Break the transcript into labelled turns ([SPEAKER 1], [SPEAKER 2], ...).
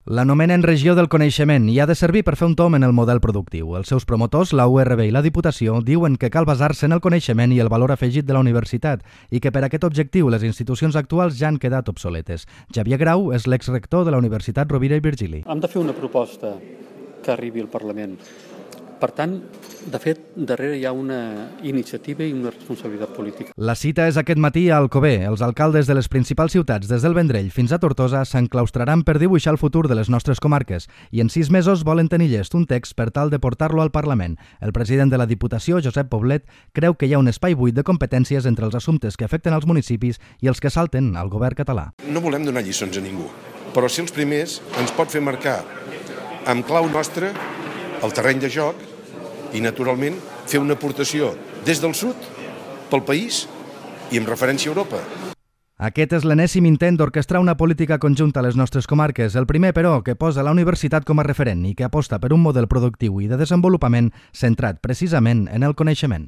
[SPEAKER 1] L'anomenen regió del coneixement i ha de servir per fer un tomb en el model productiu. Els seus promotors, la URB i la Diputació, diuen que cal basar-se en el coneixement i el valor afegit de la universitat i que per aquest objectiu les institucions actuals ja han quedat obsoletes. Xavier Grau és l'exrector de la Universitat Rovira i Virgili.
[SPEAKER 2] Hem de fer una proposta que arribi al Parlament. Per tant, de fet, darrere hi ha una iniciativa i una responsabilitat política.
[SPEAKER 1] La cita és aquest matí a Alcover. Els alcaldes de les principals ciutats, des del Vendrell fins a Tortosa, s'enclaustraran per dibuixar el futur de les nostres comarques i en 6 mesos volen tenir llest un text per tal de portar-lo al Parlament. El president de la Diputació, Josep Poblet, creu que hi ha un espai buit de competències entre els assumptes que afecten els municipis i els que salten al govern català.
[SPEAKER 3] No volem donar lliçons a ningú, però ser els primers ens pot fer marcar amb clau nostra el terreny de joc i, naturalment, fer una aportació des del sud, pel país i amb referència a Europa.
[SPEAKER 1] Aquest és l'enèsim intent d'orquestrar una política conjunta a les nostres comarques. El primer, però, que posa la universitat com a referent i que aposta per un model productiu i de desenvolupament centrat precisament en el coneixement.